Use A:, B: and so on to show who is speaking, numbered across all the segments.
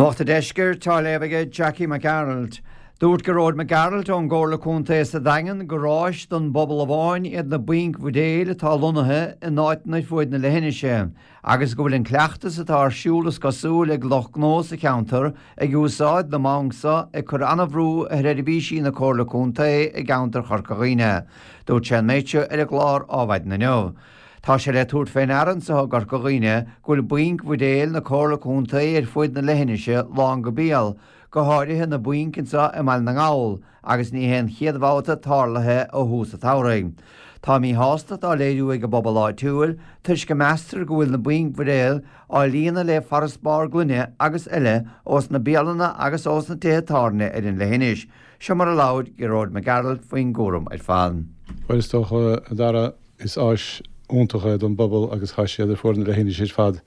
A: Nuacht an Deiscirt á léamh aige Jackie Mac Gearailt. Dúirt Gearóid Mac Gearailt ón gComhairle Contae sa Daingean gur áis don bpobal amháin iad na bainc bhuidéil atá lonnaithe in áiteanna ar fuaid na leithinise agus go bhfuil an cleachtas atá ar siúl is cosúil ag lucht gnó sa cheantar ag úsáid na mbanc seo ag cur an-bhrú ar sheirbhísí na Comhairle Contae i gceantar Chorca Dhuibhne. Dúirt sé an méid seo ar an gclár Ádhmhaidin inniu. Tá sé le tabhairt fé ndeara anso i gCorca Dhuibhne go bhfuil bainc bhuidéil na Comhairle Contae ar fuaid na leithinise lán go béal, go háirithe na bainc anso i mBaile na nGall, agus ní hé an chéad bhabhta tarlaithe ó thús an tsamhraidh. Tá míshástacht á léiriú ag an bpobal áitiúil toisc go meastar go bhfuil na bainc bhuidéil á líonadh le farasbarr gloine agus eile ós na bialanna agus ós na tithe tábhairne ar an leithinis. Seo mar a labhair Gearóid Mac Gearailt faoin gcúram ar fad.
B: Bhuel is dócha, a Dhara, Is áis iontach é don bpobal agus tá siad ar fuaid na leithinise ar fad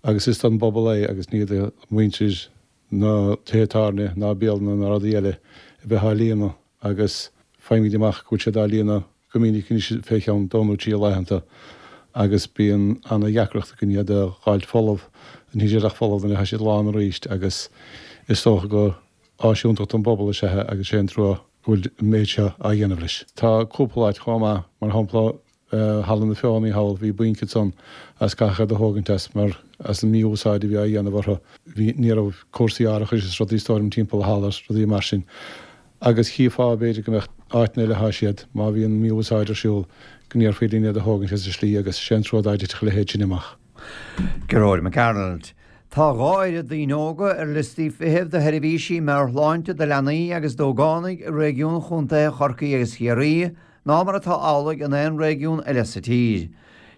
B: agus is don bpobal é agus ní do mhuintir na tithe tábhairne ná bialanna ná rudaí eile a bheith á líonadh agus faighimid amach go bhfuil siad á líonadh go minic anois fé cheann dó nó trí laethanta agus bíonn ana-dheacracht againn iad a dh'fháilt folamh, níl siad ach folamh nuair atá siad lán arís agus is dócha go Áis iontach don bpobal is ea é agus sé an trua go bhfuil an méid seo á dhéanamh leis. Tá cúpla áit chomh maith, mar shampla Halla na Feothanaí thall, bhí bainc ansan agus caitheadh iad a thógaint as mar as an mí-úsáid a bhí á dhéanamh orthu. Bhí, ní raibh cúrsaí árachais is rudaí is dóigh liom timpeall an halla is rudaí mar sin. Agus chífeá b'fhéidir go mbeadh áiteanna eile atá siad, má bhíonn mí-úsáid ar siúl, go ndéarfaí linn iad a thógaint as an slí agus sé an trua dá dtitfeadh a leithéid sin amach.
A: Gearóid Mac Gearailt. Tá 2 oiread daoine óga ar liostaí feithimh do sheirbhísí meabhairshláinte do leanaí agus d'ógánaigh i réigiún chontaetha Chorcaí agus Chiarraí ná mar atá amhlaidh in aon réigiún eile sa tír.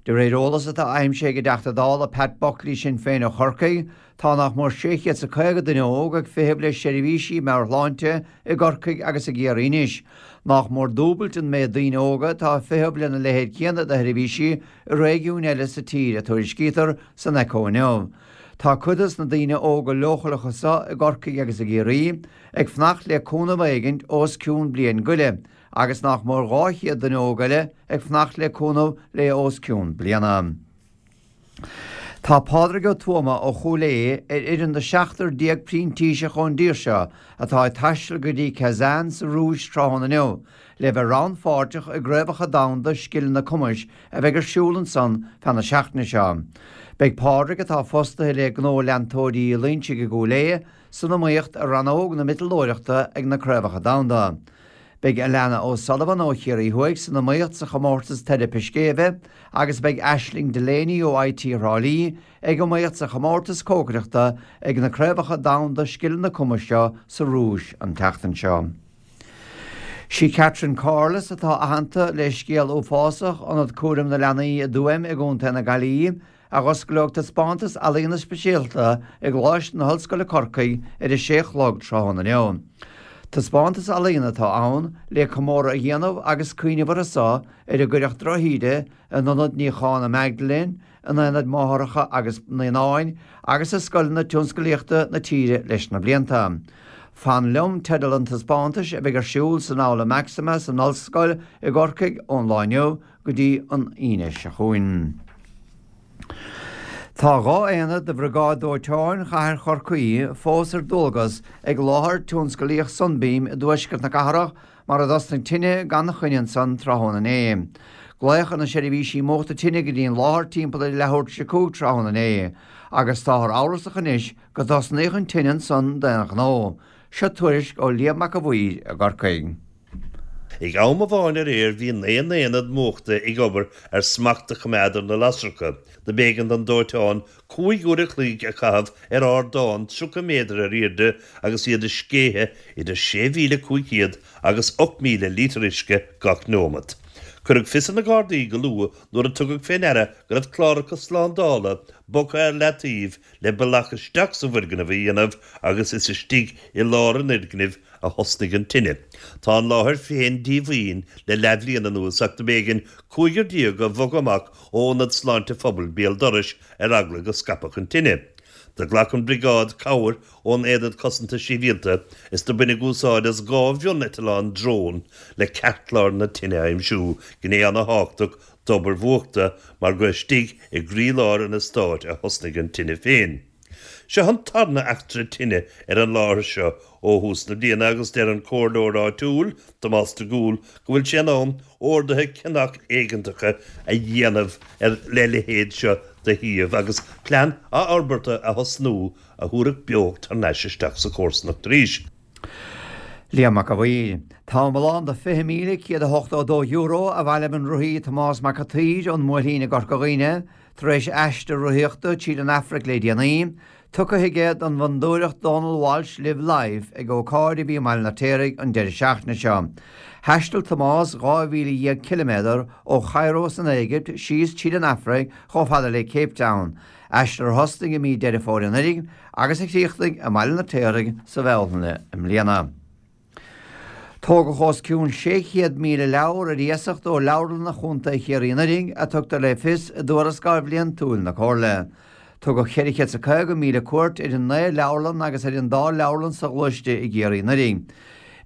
A: De réir eolas atá aimsithe ag an dTeachta Dála Pat Buckley Sinn Féin ó Chorcaigh, tá nach mór 650 duine óg ag feitheamh le seirbhísí meabhairshláinte i gCorcaigh agus i gCiarraí anois, nach mór dúbailt an méid daoine óga atá ag feitheamh lena leithéid céanna de sheirbhísí i réigiúin eile sa tír, a tuairiscítear san Echo inniu. Tá cuid dos na daoine óga leochaileacha seo i gCorcaigh agus i gCiarraí ag fanacht le cúnamh éigint os cionn bliain go leith agus nach mór 200 duine óg eile ag fanacht le cúnamh le os cionn bliana. Tá Pádraig Ó Tuama ó Chúil Aodha ar fhoireann de 17 printíseach ón dtír seo atá ag taisteal go dtí Kazan sa Rúis tráthnóna inniu le bheith rannpháirteach i gCraobhacha Domhanda Scileanna Cumais a bheidh ar siúl ansan feadh na seachtaine seo. Beidh Pádraig, atá fostaithe le gnó leantóirí Uí Loinsigh i gCúil Aodha, san iomaíocht i rannóg na miotalóireachta ag na Craobhacha Domhanda. Beidh Alana O'Sullivan ó Chiarraí Thuaidh san iomaíocht sa chomórtas teiripe scéimhe agus beidh Aisling Delaney ó IT Thrá Lí ag iomaíocht sa chomórtas cócaireachta ag na Craobhacha Domhanda Scileanna Cumais seo sa Rúis an tseachtain seo. Sí Catherine Corless atá aitheanta le scéal uafásach Ionad Cúraim na Leanaí i dTuaim i gContae na Gaillimhe a dh'osclóidh taispeántas ealaíona speisialta i gColáiste na hOllscoile Corcaigh ar a sé a chlog tráthnóna inniu. Taispeántas ealaíona atá ann le comóradh a dhéanamh agus cuimhneamh orthu so ar a gcuireadh drochíde in Ionad Níocháin na Magdalene, in Aonaid Máithreacha agus Naíonáin agus i scoileanna tionsclaíochta na tíre leis na blianta. Fan Liom teideal an taispeántais a bheidh ar siúl san Aula Maxima san Ollscoil i gCorcaigh ón lá inniu go dtí an Aoine seo chugainn. Tá 2 aonad de Bhriogáid Dóiteáin Chathair Chorcaí fós ar dualgas ag láthair tionsclaíoch Sunbeam i dtuaisceart na cathrach mar a dtosnaigh tine gan choinne ansan tráthnóna inné. Glaodh ar na seirbhísí múchta tine go dtí an láthair timpeall ar leathuair tar éis a 5 tráthnóna inné agus táthar amhrasach anois go dtosnaíodh an tine ansan d'aon ghnó. Seo tuairisc ó Liam Mac a' Mhaoir i gCorcaigh.
C: Ag am amháin aréir bhí 9 n-aonad múchta ag obair ar smacht a choimeád ar na lasracha. Do b'éigean don dóiteán 5 uair a chloig a chaitheamh ar ardán 30 méadar ar airde agus iad ag sceitheadh idir 6,500 agus 8,000 lítear uisce gach neomat. Cuireadh fios ar na Gardaí go luath nuair a tugadh fé ndeara go raibh cláracha slándála bogtha ar leataobh le bealach isteach sa bhfoirgneamh a dhéanamh agus is istigh i lár an fhoirgnimh a thosnaigh an tine. Tá an láthair féin díomhaoin le leathbhliain anuas ach do b'éigean 15 a bhogadh amach ó Ionad Sláinte Phobail béal dorais ar eagla go scaipfeadh an tine. Do ghlac an Briogáid cabhair ón Aonad Cosanta Sibhialta is do baineadh úsáid as 2 mhioneitileán drone le ceartlár na tine a aimsiú, gné ana-thábhachtach d'obair mhúchta mar gur istigh i gcroílár an eastáit a thosnaigh an tine féin. Seo an tarna eachtra tine ar an láthair seo ó thús na bliana agus deir an comhairleoir áitiúil, Tomás de Gúl, go bhfuil sé in am orduithe ceannach éigeantacha a dhéanamh ar le leithéid seo de shuíomh agus plean athfhorbartha a thosnú a thabharfadh beocht thar n-ais isteach sa chomharsanacht arís.
A: Liam Mac a' Mhaoir. Tá iomlán de €20,182 a bhailigh an rothaí Tomás Mac a' tSaoir ón mBuailtín i gCorca Dhuibhne tar éis aistear rothaíochta tríd an Afraic le déanaí, tugtha aige don bhFondúireacht Donal Walsh Live Life ag ócáid a bhí i mBaile an Fheirtéaraigh an deireadh seachtaine seo. Thaistil Tomás 12,000 ciliméadar ó Chairo san Éigipt síos tríd an Afraic chomh fada le Cape Town, aistear a thosnaigh i mí Deireadh Fómhair anuraidh agus a chríochnaigh i mBaile an Fheirtéaraigh sa Bhealtaine i mbliana. Tógadh os cionn 600,000 leabhar ar iasacht ó leabharlanna Chontae Chiarraí anuraidh, a tugtar le fios i dtuarascáil bhliantúil na Comhairle. Tugadh 450,000 cuairt ar an 9 leabharlann agus ar an dá leabharlann soghluaiste i gCiarraí anuraidh.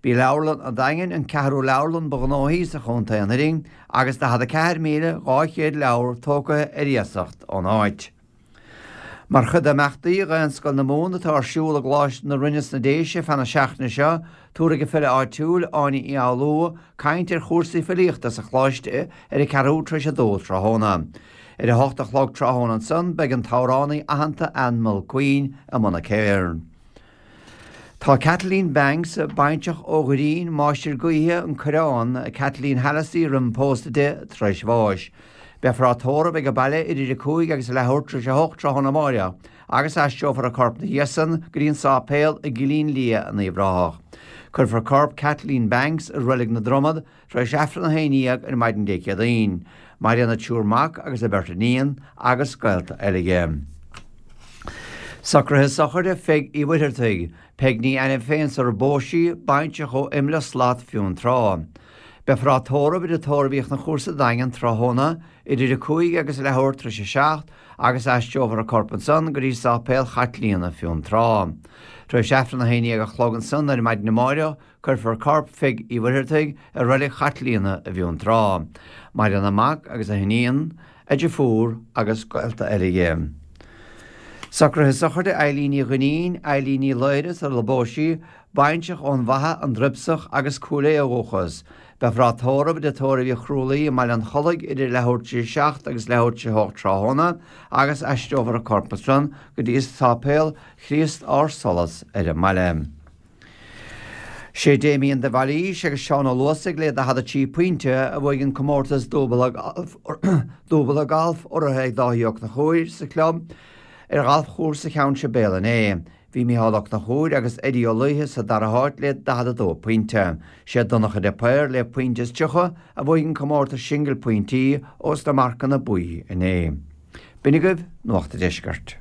A: B'í Leabharlann an Daingin an ceathrú leabharlann ba ghnóthaí sa chontae anuraidh agus 44,200 leabhar tógtha ar iasacht ón áit. Mar chuid d'imeachtaí Dhaonscoil na Mumhan atá ar siúl i gColáiste na Rinne sna Déise feadh na seachtaine seo, tabharfaidh an file áitiúil, Áine Uí Fhoghlú, caint ar chúrsaí filíochta sa choláiste ar a ceathrú tar éis a dó tráthnóna. Ar a hocht a chlog tráthnóna ansan beidh an t-amhránaí aitheanta Ann Mulqueen i mbun a céird. Tá Kathleen Banks, baintreach ó Dhoirín, Máistir Gaoithe, An Coireán, Kathleen Hallissey roimh an pósadh di, tar éis bháis. Beifear á tórramh ag an baile idir a 5 agus a leathuair tar éis a 8 tráthnóna amáireach agus aistreofar a corp 'na dhiaidh san go dtí an sáipéal i gCillín Liath in Uíbh Ráthach. Cuirfear corp Kathleen Banks i Reilig na Dromad Tar éis Aifreann 11 ar maidin Dé Céadaoin, maireann a triúr mac agus a bheirt iníon agus gaolta eile di. Socruithe sochraide Pheig Uí Mhuircheartaigh, Peig Ní Ainmh féin sar a bpós sí, baintreach ó Imle Slat Fionntrá. Beifear á tórramh i dTigh Tórraimh Uí Chonchúir sa Daingean tráthnóna idir 5 agus a leathuair tar éis a 7 agus aistreofar a corp ansan go dtí Sáipéal Chaitlíona Fionntrá. Tar éis Aifreann 11 a chlog ansan ar maidin amáireach Cuirfear corp Pheig Uí Mhuircheartaigh i Reilig Chaitlíona i bhFionntrá. Maireann a mac agus a hiníon, a deirfiúr agus gaolta eile di. Socruithe sochraide Eilín Ní Dhuinnín, Eilín Ní Laoire sula bpós sí, baintreach ón bhFaiche, An Druipsach agus Cúil Aodha ó dhúchas. Beifear á tórramh i dTigh Tórraimh Uí Chrualaoi i mBaile an Chollaigh idir leathuair tar éis a 7 agus leathuair tar éis a 8 tráthnóna agus aistreofar a corp ansan go dtí Sáipéal Chríost Ár Solas ar an mbaile. Sé Damien de Bhailís agus Seán Ó Luasaigh le 43 pointe a bhuaigh an comórtas dúbailte gailf urraithe ag Dáithí Ó Conchúir sa chlub ar ghalfchúrsa Cheann Sibéal inné. Bhí Micheál Ó Conchúir agus Eddie Ó Laoithe sa dara háit le 42 pointe. Sé Donncha de Paor le pointe is 30 a bhuaigh an comórtas singil pointí ós na marcanna buí inné. B'in agaibh Nuacht a' Deiscirt.